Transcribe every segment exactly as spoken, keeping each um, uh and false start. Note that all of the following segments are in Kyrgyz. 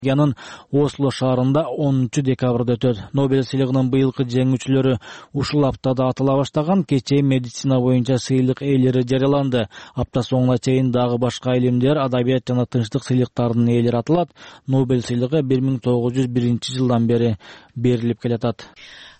Норвегиянын Осло шаарында онунчу декабрда өтөт. Нобель сыйлыгынын быйылкы жеңүүчүлөрү ушул аптада атала баштаган. Кечээ медицина боюнча сыйлык ээлери жарыяланды. Апта соңуна чейин дагы башка илимдер, адабият жана тынчтык сыйлыктарынын ээлери аталат. Нобель сыйлыгы бир миң тогуз жүз биринчи жылдан бери берилип келатат.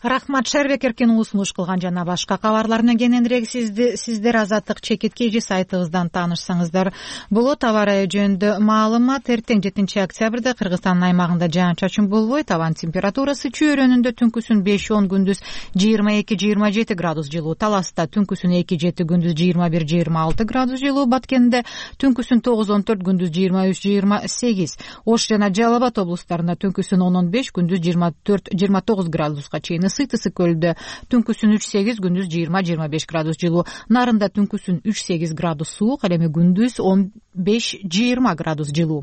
Рахмат, Шербек Эркин сунуш кылган жана башка кабарларына кененирээк сиздер Азаттык чекиткейжи сайтыбыздан таанышсаңыздар болот. Аба ырайы жөнүндө маалымат. Эртең жетинчи октябрда Кыргызстандын аймагында жаан-чачын болбойт. Абанын температурасы чөйрөнүндө түнкүсүн беш он, күндүз жыйырма эки жыйырма жети градус жылуу. Таласта түнкүсүн эки жети, күндүз жыйырма бир жыйырма алты градус жылуу. Баткенде түнкүсүн тогуз он төрт, күндүз жыйырма үч жыйырма сегиз. Ош жана Жалал Абад облустарында түнкүсүн он он беш, күндүз жыйырма төрт жыйырма тогуз градуска чейин. Сыйт ысык көлдө түнкүсүн үч сегиз, күндүз жыйырма жыйырма беш градус жылуу. Нарында түнкүсүн үч сегиз градус суук, ал эми күндүз он беш жыйырма градус жылуу.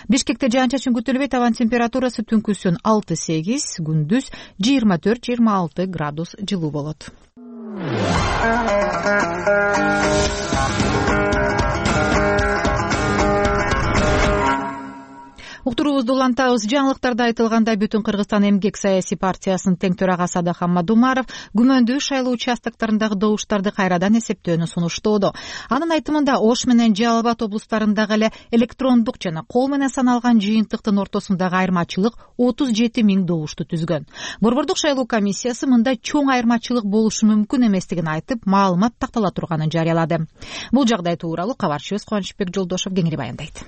Бишкекте жаан-чачын күтүлбөйт. Абанын температурасы түнкүсүн алты сегиз, күндүз жыйырма төрт жыйырма алты градус жылуу болот. Уктуруубузду улантабыз. Жаңылыктарда айтылгандай, Бүтүн Кыргызстан эмгек саясий партиясынын тең төрагасы Адахан Мадумаров күмөндүү шайлоо участоктарындагы добуштарды кайрадан эсептөөнү сунуштоодо. Анын айтымында Ош менен Жалал Абад облустарындагы эле электрондук жана кол менен саналган жыйынтыктын ортосундагы айырмачылык отуз жети миң добушту түзгөн. Борбордук шайлоо комиссиясы мындай чоң айырмачылык болушу мүмкүн эместигин айтып, маалымат тактала турганын жарыялады. Бул жагдай тууралуу кабарчыбыз Кубанычбек Жолдошов кеңири баяндайт.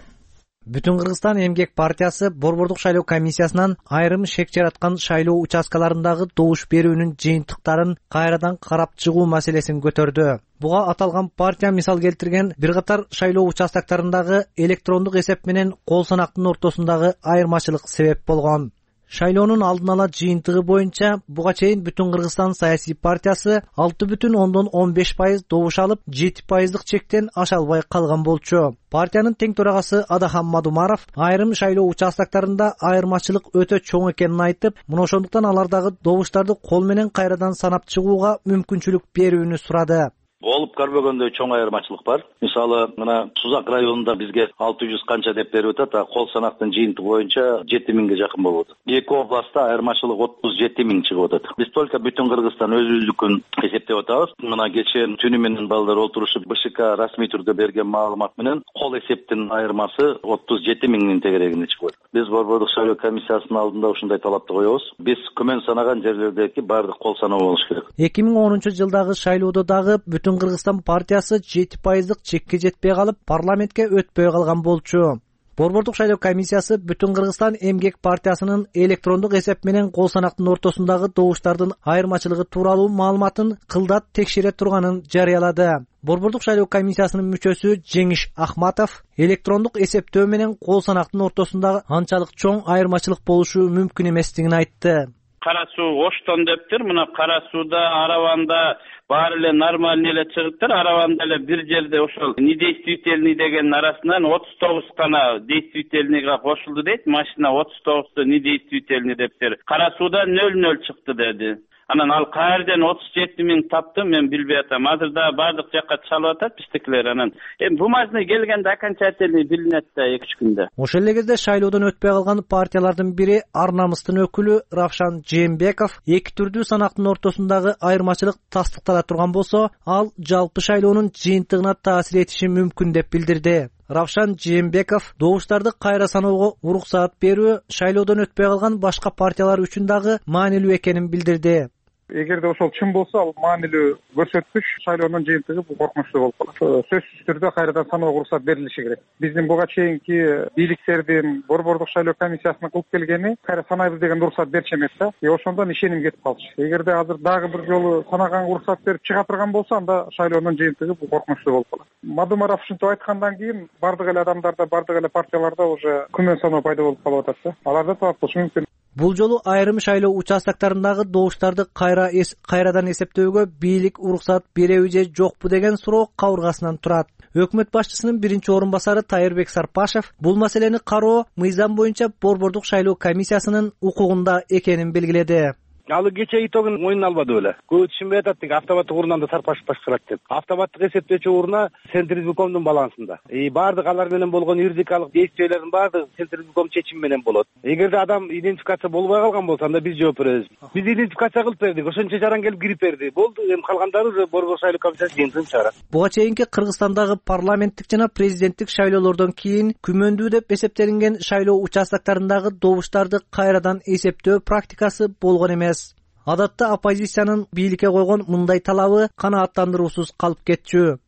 Бүтүн Кыргызстан эмгек партиясы борбордук шайлоо комиссиясынан айрым шек жараткан шайлоо участкаларындагы добуш берүүнүн жыйынтыктарын кайрадан карап чыгуу маселесин көтөрдү. Буга аталган партия мисал келтирген бир катар шайлоо участоктарындагы электрондук эсеп менен кол санактын ортосундагы айырмачылык себеп болгон. Шайлоонун алдын ала жыйынтыгы боюнча буга чейин Бүтүн Кыргызстан саясий партиясы алты бүтүн ондон он беш пайыз добуш алып, жети пайыздык чектен аша албай калган болчу. Партиянын тең төрагасы Адахан Мадумаров айрым шайлоо участоктарында айырмачылык өтө чоң экенин айтып, мына ошондуктан алардагы добуштарды кол менен кайрадан санап чыгууга мүмкүнчүлүк берүүнү сурады. Болуп көрбөгөндөй чоң айырмачылык бар. Мисалы, мына Сузак районунда бизге алты жүз канча деп берип атат, а кол санактын жыйынтыгы боюнча жети миңге жакын болуп атат. Эки областта айырмачылык отуз жети миң чыгып атат. Биз только Бүтүн Кыргызстан өзүбүздүкүн эсептеп атабыз. Мына кечээ түнү менен балдар олтурушуп БШК расмий түрдө берген маалымат менен кол эсептин айырмасы отуз жети миңдин тегерегинде чыгып атат. Биз борбордук шайлоо комиссиясынын алдында ушундай талапты коебуз. Биз күмөн санаган жерлердеги баардык кол саноо болуш керек. эки миң онунчу жылдагы шайлоодо дагы Бүтүн Кыргызстан партиясы жети пайыздык чекке жетпей калып, парламентке өтпөй калган болчу. Борбордук шайлоо комиссиясы Бүтүн Кыргызстан эмгек партиясынын электрондук эсеп менен кол санактын ортосундагы добуштардын айырмачылыгы тууралуу маалыматын кылдат текшере турганын жарыялады. Борбордук шайлоо комиссиясынын мүчөсү Жеңиш Ахматов электрондук эсептөө менен кол санактын ортосундагы анчалык чоң айырмачылык болушу мүмкүн эместигин айтты. Кара суу Оштон дептир, мына Кара сууда, Араванда баары эле нормальный эле чыгыптыр. Араванда эле бир жерде ошол недействительный дегенин арасынан отуз тогуз гана действительныйга кошулду дейт. Машина отуз тогузду недействительный дептир. Кара сууда нөл нөл чыкты деди. Анан ал каерден отуз жети миң тапты, мен билбей атам. Азыр да бардык жакка чалып атат биздикилер. Анан эми бумажный келгенде окончательный билинет да эки үч күндө. Ошол эле кезде шайлоодон өтпөй калган партиялардын бири Ар намыстын өкүлү Равшан Жээнбеков эки түрдүү санактын ортосундагы айырмачылык тастыктала турган болсо, ал жалпы шайлоонун жыйынтыгына таасир этиши мүмкүн деп билдирди. Равшан Жээнбеков добуштарды кайра саноого уруксаат берүү шайлоодон өтпөй калган башка партиялар үчүн дагы маанилүү экенин билдирди. Эгерде ошол чын болсо, ал маанилүү көрсөткүч, шайлоонун жыйынтыгы бул коркунучтуу болуп калат. Сөзсүз түрдө кайрадан саноого уруксат берилиши керек. Биздин буга чейинки бийликтердин борбордук шайлоо комиссиясына кылып келгени кайра санайбыз деген уруксат берчү эмес да. И ошондон ишеним кетип калчу. Эгерде азыр дагы бир жолу санаганга уруксат берип чыга турган болсо, анда шайлоонун жыйынтыгы бул коркунучтуу болуп калат. Мадумаров ушинтип айткандан кийин бардык эле адамдарда, бардык эле партияларда уже күмөн саноо пайда болуп калып атат да. Аларда талап болушу мүмкүн. Бул жолу айрым шайлоо участоктарындагы добуштарды кайра эс, кайрадан эсептөөгө бийлик уруксат береби же жокпу деген суроо кабыргасынан турат. Өкмөт башчысынын биринчи орун басары Тайырбек Сарпашев бул маселени кароо мыйзам боюнча борбордук шайлоо комиссиясынын укугунда экенин белгиледи. Ал кече итогун мойнуна албады беле. Көп түшүнбөй атат деги автобаттык урундан да сарпашып башкарат деп. Автобаттык эсептөөчү урна Центризбукомдун балансында. И баардык алар менен болгон юридикалык действиялардын баардыгы Центризбуком чечими менен болот. Эгерде адам идентификация болбой калган болсо, анда биз жооп беребиз. Биз идентификация кылып бердик, ошончо жаран келип кирип берди. Болду, эми калгандары уже Борбор шайлоо комиссиясы жыйынтыгын чыгарат. Буга чейинки Кыргызстандагы парламенттик жана президенттик шайлоолордон кийин күмөндүү деп эсептелинген шайлоо участоктарындагы добуштарды кайрадан эсептөө практикасы болгон эмес. Адатта оппозициянын бийликке койгон мындай талабы канааттандыруусуз калып кетчү.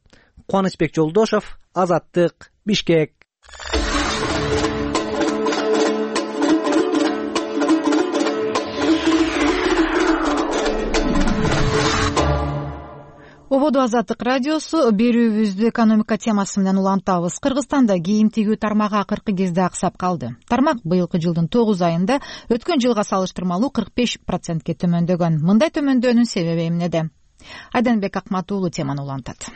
Кубанычбек Жолдошов, Азаттык, Бишкек. Ободо Азаттык радиосу. Берүүбүздү экономика темасы менен улантабыз. Кыргызстанда кийим тигүү тармагы акыркы кезде аксап калды. Тармак быйылкы жылдын тогуз айында өткөн жылга салыштырмалуу кырк беш процентке төмөндөгөн. Мындай төмөндөөнүн себеби эмнеде? Айданбек Акмат уулу теманы улантат.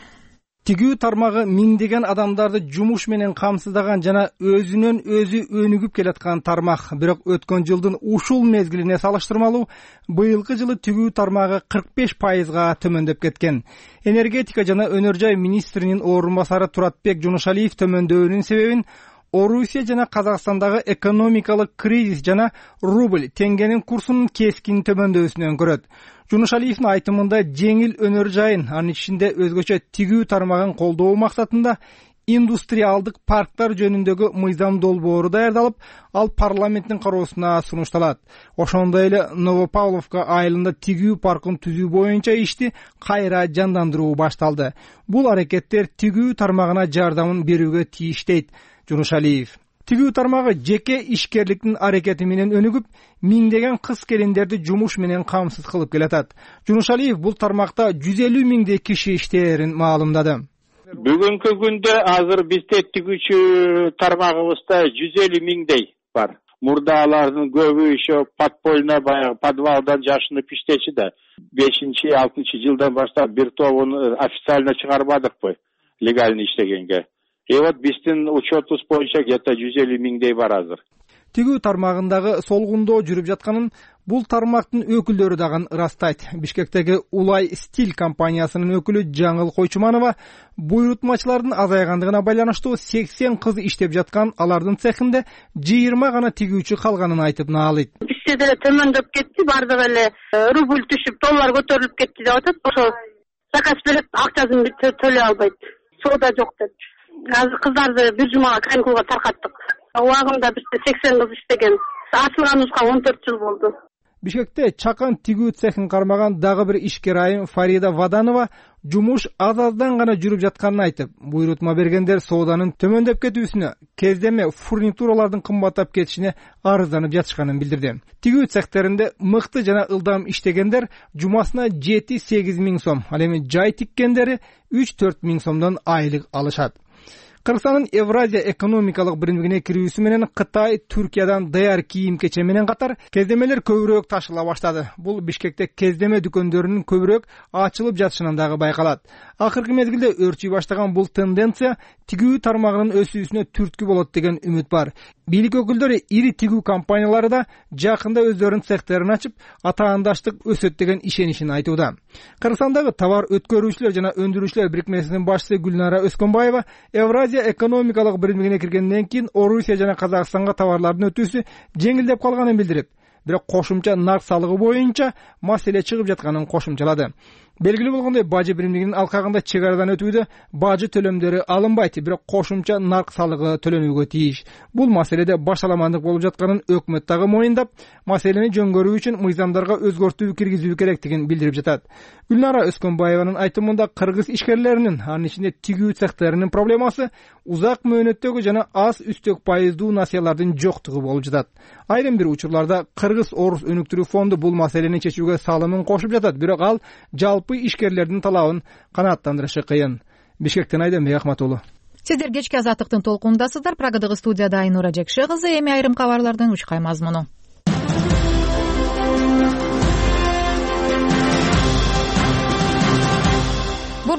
Тигүү тармагы миңдеген адамдарды жумуш менен камсыздаган жана өзүнөн өзү өнүгүп келаткан тармак. Бирок өткөн жылдын ушул мезгилине салыштырмалуу быйылкы жылы тигүү тармагы кырк беш пайызга төмөндөп кеткен. Энергетика жана өнөр жай министринин орун басары Туратбек Жунушалиев төмөндөөнүн себебин Орусия жана Казакстандагы экономикалык кризис жана рубль теңгенин курсунун кескин төмөндөсүнөн көрөт. Жунушалиевдин айтымында жеңил өнөр жайын, анын ичинде өзгөчө тигүү тармагын колдоо максатында индустриалдык парктар жөнүндөгү мыйзам долбоору даярдалып, ал парламенттин кароосуна сунушталат. Ошондой эле Новопавловка айылында тигүү паркын түзүү боюнча ишти кайра жандандыруу башталды. Бул аракеттер тигүү тармагына жардамын берүүгө тийиш дейт Жунушалиев. Тигүү тармагы жеке ишкерликтин аракети менен өнүгүп, миңдеген кыз келиндерди жумуш менен камсыз кылып келатат. Жунушалиев бул тармакта жүз элүү миңдей киши иштээрин маалымдады. Бүгүнкү күндө азыр бизде тигүүчү тармагыбызда жүз элүү миңдей бар. Мурда алардын көбү еще подпольно баягы подвалдан жашынып иштечи да. бешинчи алтынчы жылдан баштап бир тобун официально чыгарбадыкпы легально иштегенге. И вот биздин учетубуз боюнча где-то жүз элүү миңдей бар азыр. Тигүү тармагындагы солгундоо жүрүп жатканын бул тармактын өкүлдөрү дагы ырастайт. Бишкектеги Улай Стиль компаниясынын өкүлү Жаңыл Койчуманова буйрутмачылардын азайгандыгына байланыштуу сексен кыз иштеп жаткан, алардын цехинде жыйырма гана тигүүчү калганын айтып наалыйт. Бизде деле төмөндөп кетти, бардыгы эле рубль түшүп, доллар көтөрүлүп кетти деп атат. Ошо заказ берип, акчасын төлөй албайт. Соода жок деп. Азыр кыздарды бир жумага каникулга таркаттык. Убагында бизде сексен кыз иштеген. Ачылганыбызга он төрт жыл болду. Бишкекте чакан тигүү цехин кармаган дагы бир ишкер айым Фарида Ваданова жумуш аз-аздан гана жүрүп жатканын айтып, буйрутма бергендер сооданын төмөндөп кетүүсүнө, кездеме фурнитуралардын кымбаттап кетишине арызданып жатышканын билдирди. Тигүү цехтеринде мыкты жана ылдам иштегендер жумасына жети сегиз миң сом, ал эми жай тиккендери үч төрт миң сомдон айлык алышат. Кыргызстандын Евразия экономикалык биримдигине кирүүсү менен Кытай, Түркиядан даяр кийим кече менен катар кездемелер көбүрөөк ташыла баштады. Бул Бишкекте кездеме дүкөндөрүнүн көбүрөөк ачылып жатышынан дагы байкалат. Акыркы мезгилде өрчүй баштаган бул тенденция тигүү тармагынын өсүүсүнө түрткү болот деген үмүт бар. Бийлик өкүлдөрү ири тигүү компаниялары да жакында өздөрүнүн цехтерин ачып, атаандаштык өсөт деген ишенишин айтууда. Кыргызстандагы товар өткөрүүчүлөр жана өндүрүүчүлөр бирикмесинин башчысы Гүлнара Өскөнбаева Евразия экономикалык биримдигине киргенден кийин Орусия жана Казакстанга товарлардын өтүүсү жеңилдеп калганын билдирип, бирок кошумча нарк салыгы боюнча маселе чыгып жатканын кошумчалады. Белгилүү болгондой, бажы биримдигинин алкагында чек арадан өтүүдө бажы төлөмдөрү алынбайт, бирок кошумча нарк салыгы төлөнүүгө тийиш. Бул маселеде башаламандык болуп жатканын өкмөт дагы моюндап, маселени жөнгөрүү үчүн мыйзамдарга өзгөртүү киргизүү керектигин билдирип жатат. Гүлнара Өскөнбаеванын айтымында кыргыз ишкерлеринин, анын ичинде тигүү цехтеринин проблемасы узак мөөнөттөгү жана аз үстөк пайыздуу насыялардын жоктугу болуп жатат. Айрым бир учурларда Кыргыз Орус өнүктүрүү фонду бул маселени чечүүгө салымын кошуп жатат, бирок ал жалпы ишкерлердин талабын канааттандырышы кыйын. Бишкектен Айданбек Акмат уулу. Сиздер кечки Азаттыктын толкундасыздар. Прагадагы студияда Айнура Жекше кызы. Эми айрым кабарлардын учкай мазмуну.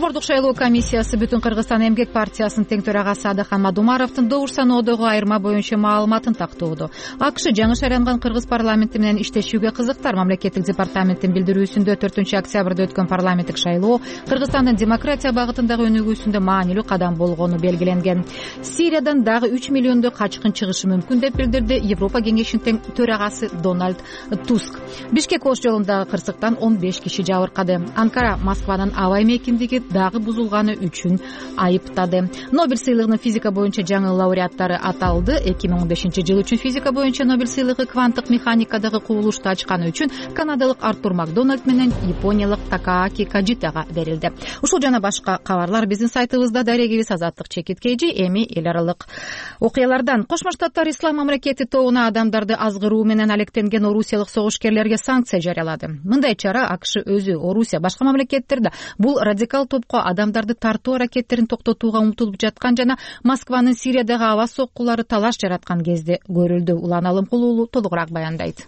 Борбордук шайлоо комиссиясы Бүтүн Кыргызстан эмгек партиясынын тең төрагасы Адахан Мадумаровдун добуш саноодогу айырма боюнча маалыматын тактоодо. АКШ жаңы шайланган Кыргыз парламенти менен иштешүүгө кызыктар. Мамлекеттик департаменттин билдирүүсүндө төртүнчү октябрда өткөн парламенттик шайлоо Кыргызстандын демократия багытындагы өнүгүүсүндө маанилүү кадам болгону белгиленген. Сириядан дагы үч миллиондой качкын чыгышы мүмкүн деп билдирди Европа кеңешинин тең төрагасы Дональд Туск. Бишкек Ош жолундагы кырсыктан он беш киши жабыркады. Анкара Москванын аба эмекиндиги дагы бузулганы үчүн айыптады. Нобель сыйлыгынын физика боюнча жаңы лауреаттары аталды. эки миң он бешинчи жыл үчүн физика боюнча Нобель сыйлыгы кванттык механикадагы кубулушту ачканы үчүн канадалык Артур Макдональд менен япониялык Такааки Каджитага берилди. Ушул жана башка кабарлар биздин сайтыбызда. Дарегибиз Азаттык Чекиткейжи. Эми эл аралык окуялардан. Кошмо Штаттар Ислам мамлекети тобуна адамдарды азгыруу менен алектенген орусиялык согушкерлерге санкция жарыялады. Мындай чара АКШ өзү, Орусия, башка мамлекеттерде бул радикал топко адамдарды тартуу аракеттерин токтотууга умтулуп жаткан жана Москванын Сириядагы аба соккулары талаш жараткан кезде көрүлдү. Улан Алымкулуулу толугураак баяндайт.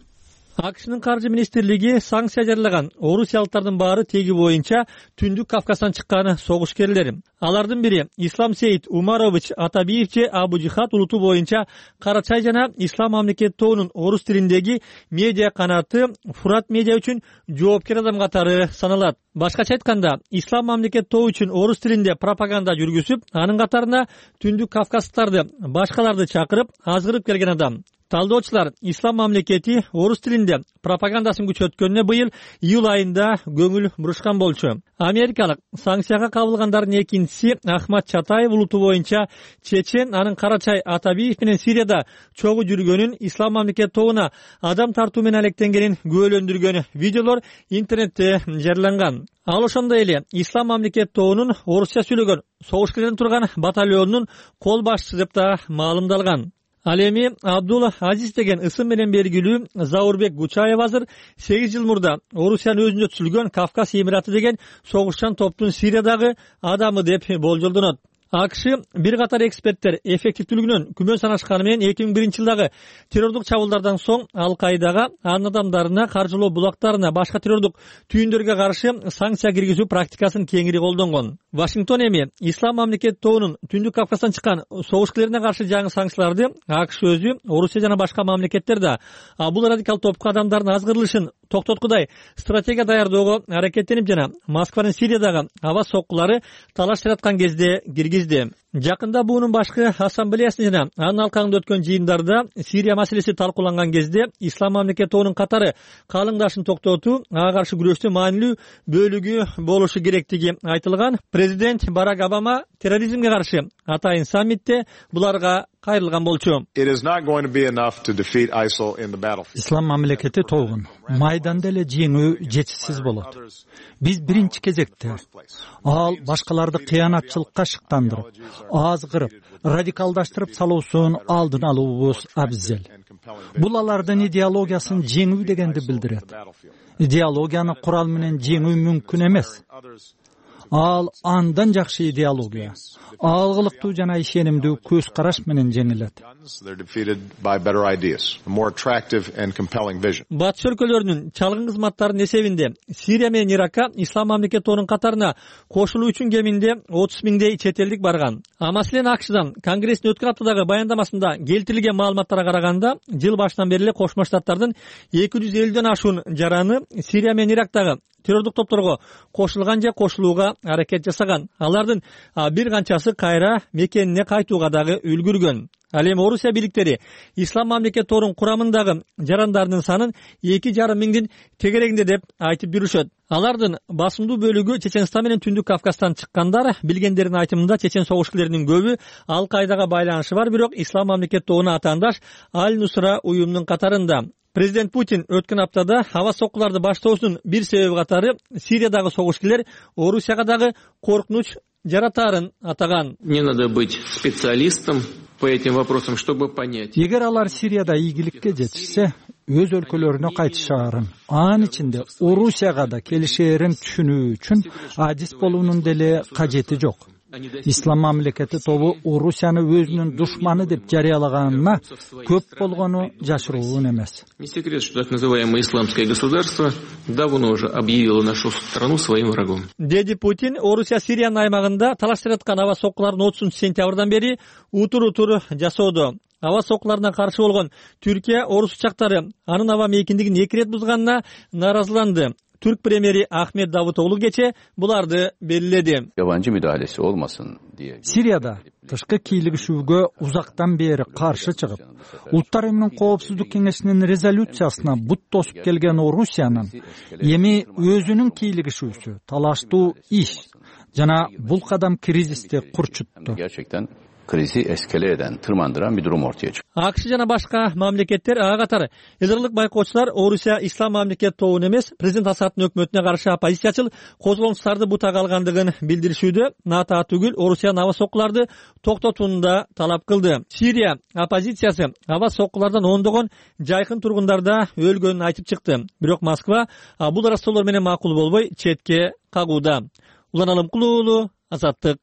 АКШнын каржы министрлиги санкция жарыялаган орусиялыктардын баары теги боюнча Түндүк Кавказдан чыккан согушкерлер. Алардын бири Ислам Сейит Умарович Атабиев же Абу Жихад улуту боюнча Карачай жана Ислам мамлекети тобунун орус тилиндеги медиа канаты Фурат медиа үчүн жоопкер адам катары саналат. Башкача айтканда, Ислам мамлекети тобу үчүн орус тилинде пропаганда жүргүзүп, анын катарына Түндүк Кавказдыктарды, башкаларды чакырып, азгырып келген адам. Талдоочулар Ислам мамлекети орус тилинде пропагандасын күчөткөнүнө быйыл июль айында көңүл бурушкан болчу. Америкалык санкцияга кабылгандардын экинчиси Ахмат Чатаев улуту боюнча Чечен, анын Карачай Атабиев менен Сирияда чогуу жүргөнүн, Ислам мамлекети тобуна адам тартуу менен алектенгенин күбөлөндүргөн видеолор интернетте жарыяланган. Ал ошондой эле Ислам мамлекети тобунун орусча сүйлөгөн согушкерлерден турган батальонунун кол башчысы деп да маалымдалган. Ал эми Абдулла Азиз деген ысым менен белгилүү Заурбек Гучаев азыр сегиз жыл мурда Орусиянын өзүндө түзүлгөн Кавказ Эмираты деген согушчан топтун Сириядагы адамы деп болжолдонот. АКШ бир катар эксперттер эффективдүүлүгүнөн күмөн санашканы менен эки миң биринчи жылдагы террордук чабуулдардан соң Ал-Каидага, анын адамдарына, каржылоо булактарына, башка террордук түйүндөргө каршы санкция киргизүү практикасын кеңири колдонгон. Вашингтон эми Ислам мамлекети тобунун Түндүк Кавказдан чыккан согушкерлерине каршы жаңы санкцияларды АКШ өзү, Орусия жана башка мамлекеттерде бул радикал топко адамдардын азгырылышын токтоткудай стратегия даярдоого аракеттенип жана Москванын Сириядагы аба соккулары талаш жараткан кезде киргизди. Жакында буунун башкы ассамблеясы жана анын алкагында өткөн жыйындарда Сирия маселеси талкууланган кезде Ислам мамлекети тобунун катары калыңдашын токтотуу, ага каршы күрөштүн маанилүү бөлүгү болушу керектиги айтылган. Президент Барак Обама терроризмге каршы атайын саммитте буларга кайрылган болчу. Ислам мамлекети тобун майданда эле жеңүү жетишсиз болот. Биз биринчи кезекте ал башкаларды кыянатчылыкка шыктандырып, азгырып, радикалдаштырып салуусун алдын алуубуз абзел. Бул алардын идеологиясын жеңүү дегенди билдирет. Идеологияны курал менен жеңүү мүмкүн эмес. Ал андан жакшы идеология, алгылыктуу жана ишенимдүү көз караш менен жеңилет. Батыш өлкөлөрүнүн чалгын кызматтарынын эсебинде Сирия менен Иракка Ислам мамлекети тобунун катарына кошулуу үчүн кеминде отуз миңдей чет элдик барган. А маселен АКШдан Конгресстин өткөн аптадагы баяндамасында келтирилген маалыматтарга караганда, жыл башынан бери эле Кошмо Штаттардын эки жүз элүүдөн ашуун жараны Сирия менен Ирактагы террордук топторго кошулган же кошулууга аракет жасаган. Алардын бир канчасы кайра мекенине кайтууга дагы үлгүргөн. Ал эми Орусия бийликтери Ислам мамлекети тобунун курамындагы жарандардын санын эки жарым миңдин тегерегинде деп айтып жүрүшөт. Алардын басымдуу бөлүгү Чеченстан менен Түндүк Кавказдан чыккандар. Билгендердин айтымында Чечен согушкерлеринин көбү Ал-Каидага байланышы бар, бирок Ислам мамлекети тобуна атаандаш Аль-Нусра уюмунун катарында. Президент Путин өткөн аптада аба соккуларды баштоосунун бир себеби катары Сириядагы согушкерлер Орусияга дагы коркунуч жаратаарын атаган. Не надо быть специалистом по этим вопросам, чтобы понять. Эгер алар Сирияда ийгиликке жетишсе, өз өлкөлөрүнө кайтышаарын, анын ичинде Орусияга да келишээрин түшүнүү үчүн адис болуунун деле кажети жок. ислам мамлекети тобу Орусияны өзүнүн душманы деп жарыялаганына көп болгону жашыруун эмес. Не секрет, что так называемое исламское государство давно уже объявило нашу страну своим врагом. Деди Путин Орусия Сириянын аймагында талаштырып аткан аба соккуларын отузунчу сентябрдан бери утур-утур жасоодо. Аба соккуларына каршы болгон Түркия орус учактары анын аба мейкиндигин эки ирет бузганына нааразыланды. Türk премьери Ahmet Davutoğlu geçe bulardı belirledi. Yabancı müdahalesi olmasın diye. Siriyada тышкы кийлигишүүгө узактан бери каршы чыгып, Улуттар уюмунун коопсуздук кеңешинин резолюциясына бут тосуп келген Орусиянын эми өзүнүн кийлигишүүсү талаштуу иш жана бул кадам кризисти курчутту. Gerçekten krizi eskale eden, tırmandıran bir durum ortaya çıktı. АКШ жана башка мамлекеттер ага катары эзерлик байкоочулар Орусия ислам мамлекет тобун эмес, президент Асадтын өкмөтүнө каршы оппозициячыл козголуңуштарды бутага алгандыгын билдиришүүдө, НАТО түгүл Орусиянын аба соккуларды токтотууну да талап кылды. Сирия оппозициясы аба соккулардан ондогон жайкын тургундарда өлгөнүн айтып чыкты. Бирок Москва бул рассоолор менен макул болбой четке кагууда. Улан Алымкулуу уулу, Азаттык.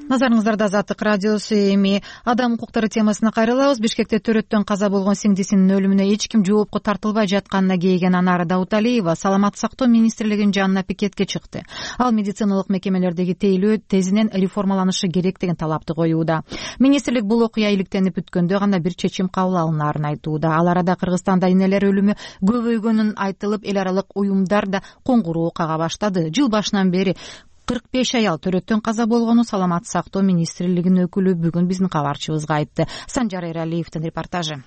Назарыңыздарда Азаттык радиосу. Эми адам укуктары темасына кайрылабыз. Бишкекте төрөттөн каза болгон сиңдисинин өлүмүнө эч ким жоопко тартылбай жатканына кейген Анара Дауталиева саламаттык сактоо министрлигинин жанына пикетке чыкты. Ал медициналык мекемелердеги тейлөө тезинен реформаланышы керек деген талапты коюуда. Министрлик бул окуя иликтенип бүткөндө гана бир чечим кабыл алынаарын айтууда. Ал арада Кыргызстанда энелер өлүмү көбөйгөнүн айтылып, эл аралык уюмдар да коңгуроо кага баштады. Жыл башынан бери кырк беш аял төрөттөн каза болгону саламаттык сактоо министрлигинин өкүлү бүгүн биздин кабарчыбызга айтты. Санжар Эралиевдин репортажы.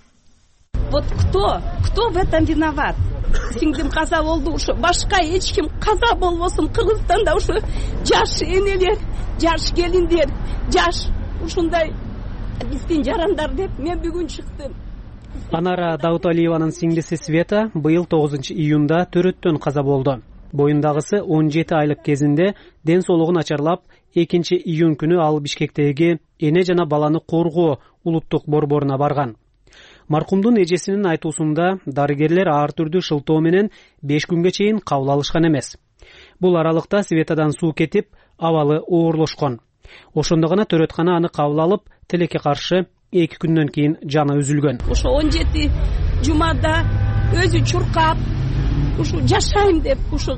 Вот кто, кто в этом виноват? Сиңдим каза болду, ушу башка эч ким каза болбосун. Кыргызстанда ушу жаш энелер, жаш келиндер, жаш ушундай биздин жарандар деп мен бүгүн чыктым. Анара Дауталиеванын сиңдиси Света быйыл тогузунчу июнда төрөттөн каза болду. Боюндагысы он жети айлык кезинде ден соолугу начарлап, экинчи июнь күнү ал Бишкектеги эне жана баланы коргоо улуттук борборуна барган. Маркумдун эжесинин айтуусунда дарыгерлер ар түрдүү шылтоо менен беш күнгө чейин кабыл алышкан эмес. Бул аралыкта Светадан суу кетип, абалы оорлошкон. Ошондо гана төрөткана аны кабыл алып, тилекке каршы эки күндөн кийин жаны үзүлгөн. Ошо он жети жумада өзү чуркап, ушу жашайм деп ушу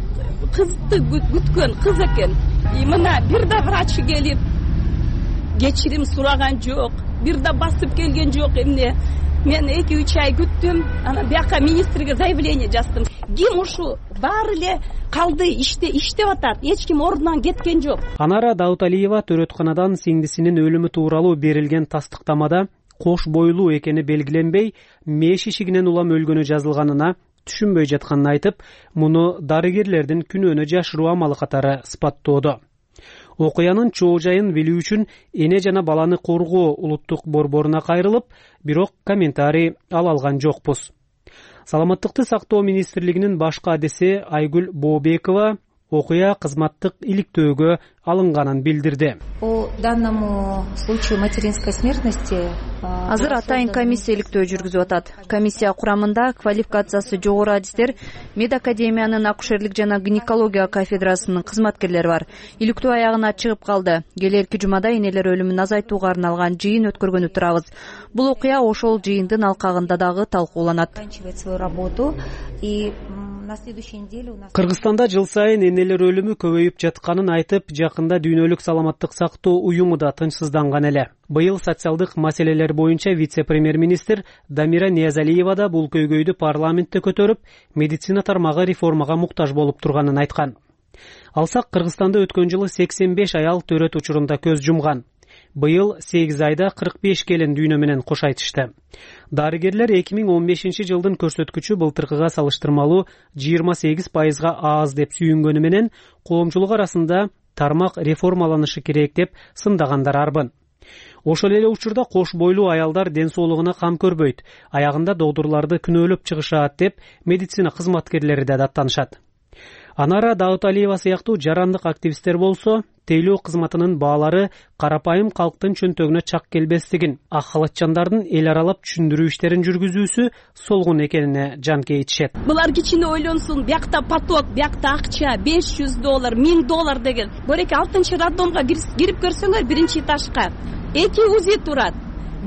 кызды күткөн кыз экен. И мына бир да врач келип кечирим сураган жок, бир да басып келген жок. Эмне мен эки үч ай күттүм, анан бияка министрге заявление жаздым. Ким ушу баары эле калды, иште иштеп атат, эч ким ордунан кеткен жок. Анара Дауталиева төрөтканадан сиңдисинин өлүмү тууралуу берилген тастыктамада кош бойлуу экени белгиленбей, меш ишигинен улам өлгөнү жазылганына түшүнбөй жатканын айтып, муну дарыгерлердин күнөөнө жашыруу амалы катары сыпаттоодо. Окуянын чоо жайын билүү үчүн эне жана баланы коргоо улуттук борборуна кайрылып, бирок комментарий ала алган жокпуз. Саламаттыкты сактоо министрлигинин баш кадиси Айгүл Бообекова окуя кызматтык иликтөөгө алынганын билдирди. По данному случаю материнской смертности азыр атайын комиссия иликтөө жүргүзүп атат. Комиссия курамында квалификациясы жогору адистер, медакадемиянын акушерлик жана гинекология кафедрасынын кызматкерлери бар. Иликтөө аягына чыгып калды. Келерки жумада энелер өлүмүн азайтууга арналган жыйын өткөргөнү турабыз. Бул окуя ошол жыйындын алкагында дагы талкууланат. Кыргызстанда жыл сайын энелер өлүмү көбөйүп жатканын айтып, жакында дүйнөлүк саламаттык сактоо уюму да тынчсызданган эле. Быйыл социалдык маселелер боюнча вице-премьер-министр Дамира Ниязалиева да бул көйгөйдү парламентте көтөрүп, медицина тармагы реформага муктаж болуп турганын айткан. Алсак, Кыргызстанда өткөн жылы сексен беш аял төрөт учурунда көз жумган. Быйыл сегиз айда кырк беш келин дүйнө менен кош айтышты. Дарыгерлер эки миң он бешинчи жылдын көрсөткүчү былтыркыга салыштырмалуу жыйырма сегиз пайызга аз деп сүйүнгөнү менен коомчулук арасында тармак реформаланышы керек деп сындагандар арбын. Ошол эле учурда кош бойлуу аялдар ден соолугуна кам көрбөйт, аягында докторлорду күнөөлөп чыгышат деп медицина кызматкерлери да даттанышат. Анара Дауталиева сыяктуу жарандык активисттер болсо тейлөө кызматынын баалары карапайым калктын чөнтөгүнө чак келбестигин, ак халатчандардын эл аралап түшүндүрүү иштерин жүргүзүүсү солгун экенине жанкей ичишет. Булар кичине ойлонсун, биякта поток, биякта акча, беш жүз доллар, миң доллар деген. Бореке алтынчы роддомго кирип көрсөңөр биринчи этажга эки УЗИ турат.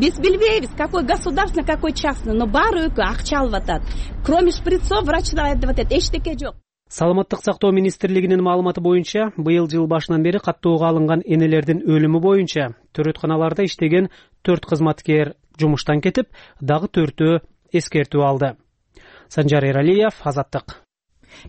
Биз билбейбиз, какой государственный, какой частный, но баары өкү акча алып атат. Кроме шприцов врачтар айтып атат, эчтеке жок. Саламаттык сактоо министрлигинин маалыматы боюнча, быйыл жыл башынан бери каттоого алынган энелердин өлүмү боюнча төрөтканаларда иштеген төрт кызматкер жумуштан кетип, дагы төртөө эскертүү алды. Санжар Эралиев, Азаттык.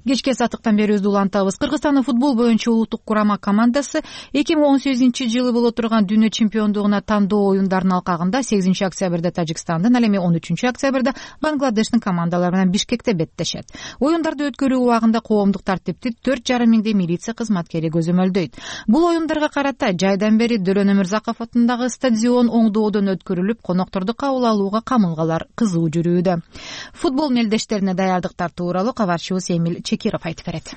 Кечке сатыктан бери өз улантабыз. Кыргызстандын футбол боюнча улуттук курама командасы эки миң он сегизинчи жылы боло турган дүйнө чемпиондугуна тандоо оюндарынын алкагында сегизинчи октябрда Тажикстандын, ал эми он үчүнчү октябрда Бангладештин командалары менен Бишкекте беттешет. Оюндарды өткөрүү убагында коомдук тартипти төрт жарым миңдей милиция кызматкери көзөмөлдөйт. Бул оюндарга карата жайдан бери Дөлөн Өмүрзаков атындагы стадион оңдоодон өткөрүлүп, конокторду кабыл алууга камылгалар кызуу жүрүүдө. Футбол мелдештерине даярдыктар тууралуу кабарчыбыз Эмил Чекиров айтып берет.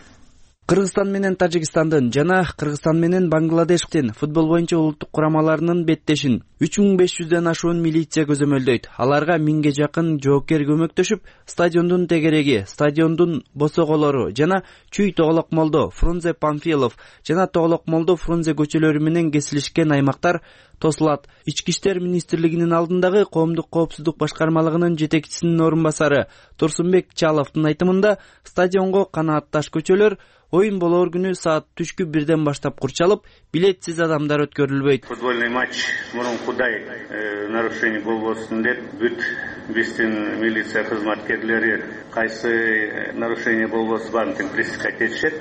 Кыргызстан менен Тажикстандын жана Кыргызстан менен Бангладештин футбол боюнча улуттук курамаларынын беттешин үч миң беш жүздөн ашуун милиция көзөмөлдөйт. Аларга миңге жакын жоокер көмөктөшүп, стадиондун тегереги, стадиондун босоголору жана Чүй Тоголок Молдо, Фрунзе Памфилов жана Тоголок Молдо Фрунзе көчөлөрү менен кесилишкен аймактар тосулат. Ички иштер министрлигинин алдындагы коомдук коопсуздук башкармалыгынын жетекчисинин орун басары Турсунбек Чаловдун айтымында стадионго канаатташ көчөлөр оюн болоор күнү саат түшкү бирден баштап курчалып, билетсиз адамдар өткөрүлбөйт. Футбольный матч мурункудай нарушение болбосун деп бүт биздин милиция кызматкерлери кайсы нарушение болбосун баарын пресекать этишет.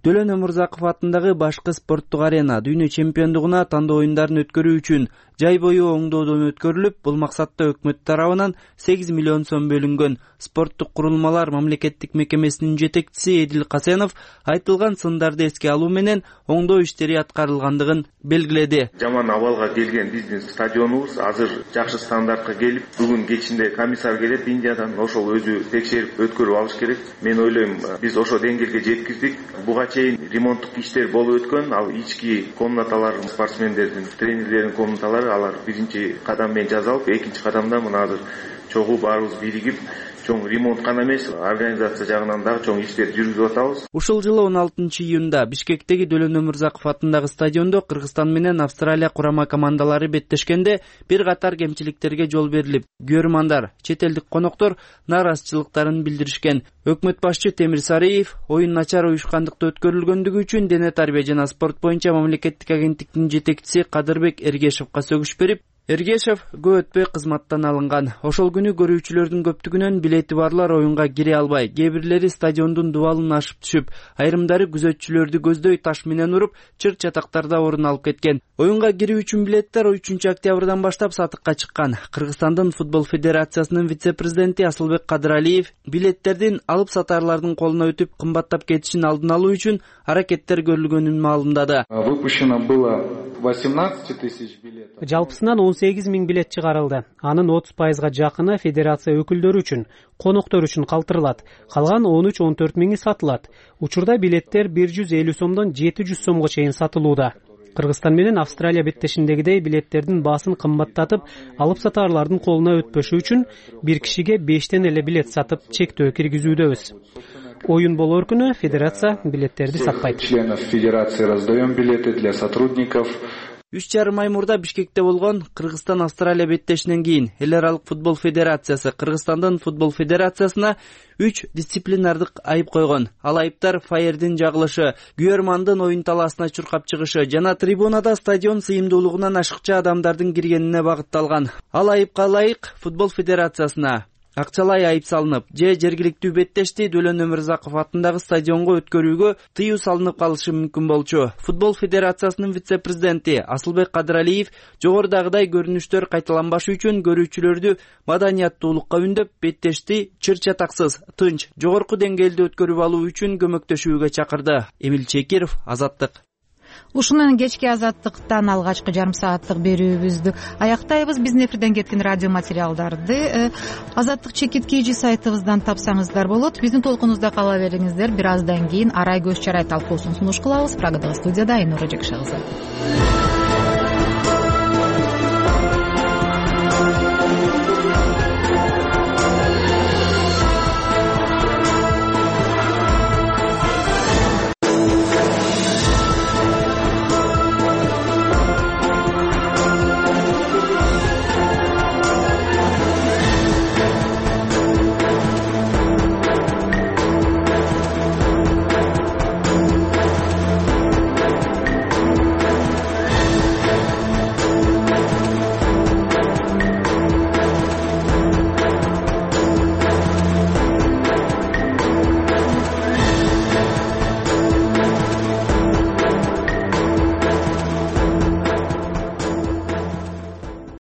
Дөлөн Өмүрзаков атындагы башкы спорттук арена дүйнө чемпиондугуна тандоо оюндарын өткөрүү үчүн жай бою оңдоодон өткөрүлүп, бул максатта өкмөт тарабынан сегиз миллион сом бөлүнгөн. Спорттук курулмалар мамлекеттик мекемесинин жетекчиси Эдил Касенов айтылган сындарды эске алуу менен оңдоо иштери аткарылгандыгын белгиледи. Жаман абалга келген биздин стадионубуз азыр жакшы стандартка келип, бүгүн кечинде комиссар келет Индиядан, ошол өзү текшерип өткөрүп алыш керек. Мен ойлойм, биз ошо деңгээлге жеткиздик. Буга чейин ремонттук иштер болуп өткөн, ал ички комнаталар, спортсмендердин, тренерлердин комнаталары алар биринчи кадам менен жасалып, экинчи кадамда мына азыр чогуу баарыбыз биригип, чоң ремонт гана эмес, организация жагынан дагы чоң иштер жүргүзүп атабыз. Ушул жылы он алтынчы июнда Бишкектеги Дөлөн Өмүрзаков атындагы стадиондо Кыргызстан менен Австралия курама командалары беттешкенде бир катар кемчиликтерге жол берилип, көрөрмандар, чет элдик коноктор нааразычылыктарын билдиришкен. Өкмөт башчы Темир Сариев оюн начар уюшкандыкта өткөрүлгөндүгү үчүн Дене тарбия жана спорт боюнча мамлекеттик агенттиктин жетекчиси Кадырбек Эргешевге сөгүш берип, Эргешев көп өтпөй кызматтан алынган. Ошол күнү көрүүчүлөрдүн көптүгүнөн билети барлар оюнга кире албай, кээ бирлери стадиондун дубалын ашып түшүп, айрымдары күзөтчүлөрдү көздөй таш менен уруп, чыр чатактарда орун алып кеткен. Оюнга кирүү үчүн билеттер үчүнчү октябрдан баштап сатыкка чыккан. Кыргызстандын футбол федерациясынын вице-президенти Асылбек Кадыралиев билеттердин алып сатарлардын колуна өтүп кымбаттап кетишин алдын алуу үчүн аракеттер көрүлгөнүн маалымдады. Выпущено было восемнадцать тысяч билетов. Жалпысынан он сегиз миң билет чыгарылды. Анын отуз пайызга жакыны федерация өкүлдөрү үчүн, коноктор үчүн калтырылат. Калган он үч он төрт миңи сатылат. Учурда билеттер бир жүз элүү сомдон жети жүз сомго чейин сатылууда. Кыргызстан менен Австралия беттешиндегидей билеттердин баасын кымбаттатып, алып сатарлардын колуна өтпөшү үчүн бир кишиге бештен эле билет сатып, чектөө киргизүүдөбүз. Оюн болоор күнү федерация билеттерди сатпайт. Членов федерации раздаем билеты для сотрудников. Үч жарым ай мурда Бишкекте болгон Кыргызстан Австралия беттешинен кийин Эл аралык футбол федерациясы Кыргызстандын футбол федерациясына үч дисциплинардык айып койгон. Ал айыптар фаердин жагылышы, күйөрмандын оюн талаасына чуркап чыгышы жана трибунада стадион сыйымдуулугунан ашыкча адамдардын киргенине багытталган. Ал айыпка ылайык футбол федерациясына акчалай айып салынып, же жергиликтүү беттешти Дөлөн Өмүрзаков атындагы стадионго өткөрүүгө тыюу салынып калышы мүмкүн болчу. Футбол федерациясынын вице-президенти Асылбек Кадыралиев жогорудагыдай көрүнүштөр кайталанбашы үчүн көрүүчүлөрдү маданияттуулукка үндөп, беттешти чыр чатаксыз, тынч, жогорку деңгээлде өткөрүп алуу үчүн көмөктөшүүгө чакырды. Эмил Чекиров, Азаттык. ушуну менен кечки азаттыктан алгачкы жарым сааттык берүүбүздү аяктайбыз. Биздин эфирден кеткен радио материалдарды азаттык чекит kg сайтыбыздан тапсаңыздар болот. Биздин толкунубузда кала бериңиздер. Бир аздан кийин арай көз чарай талкуусун сунуш кылабыз. Прагадагы студияда Айнура Жекшагызы.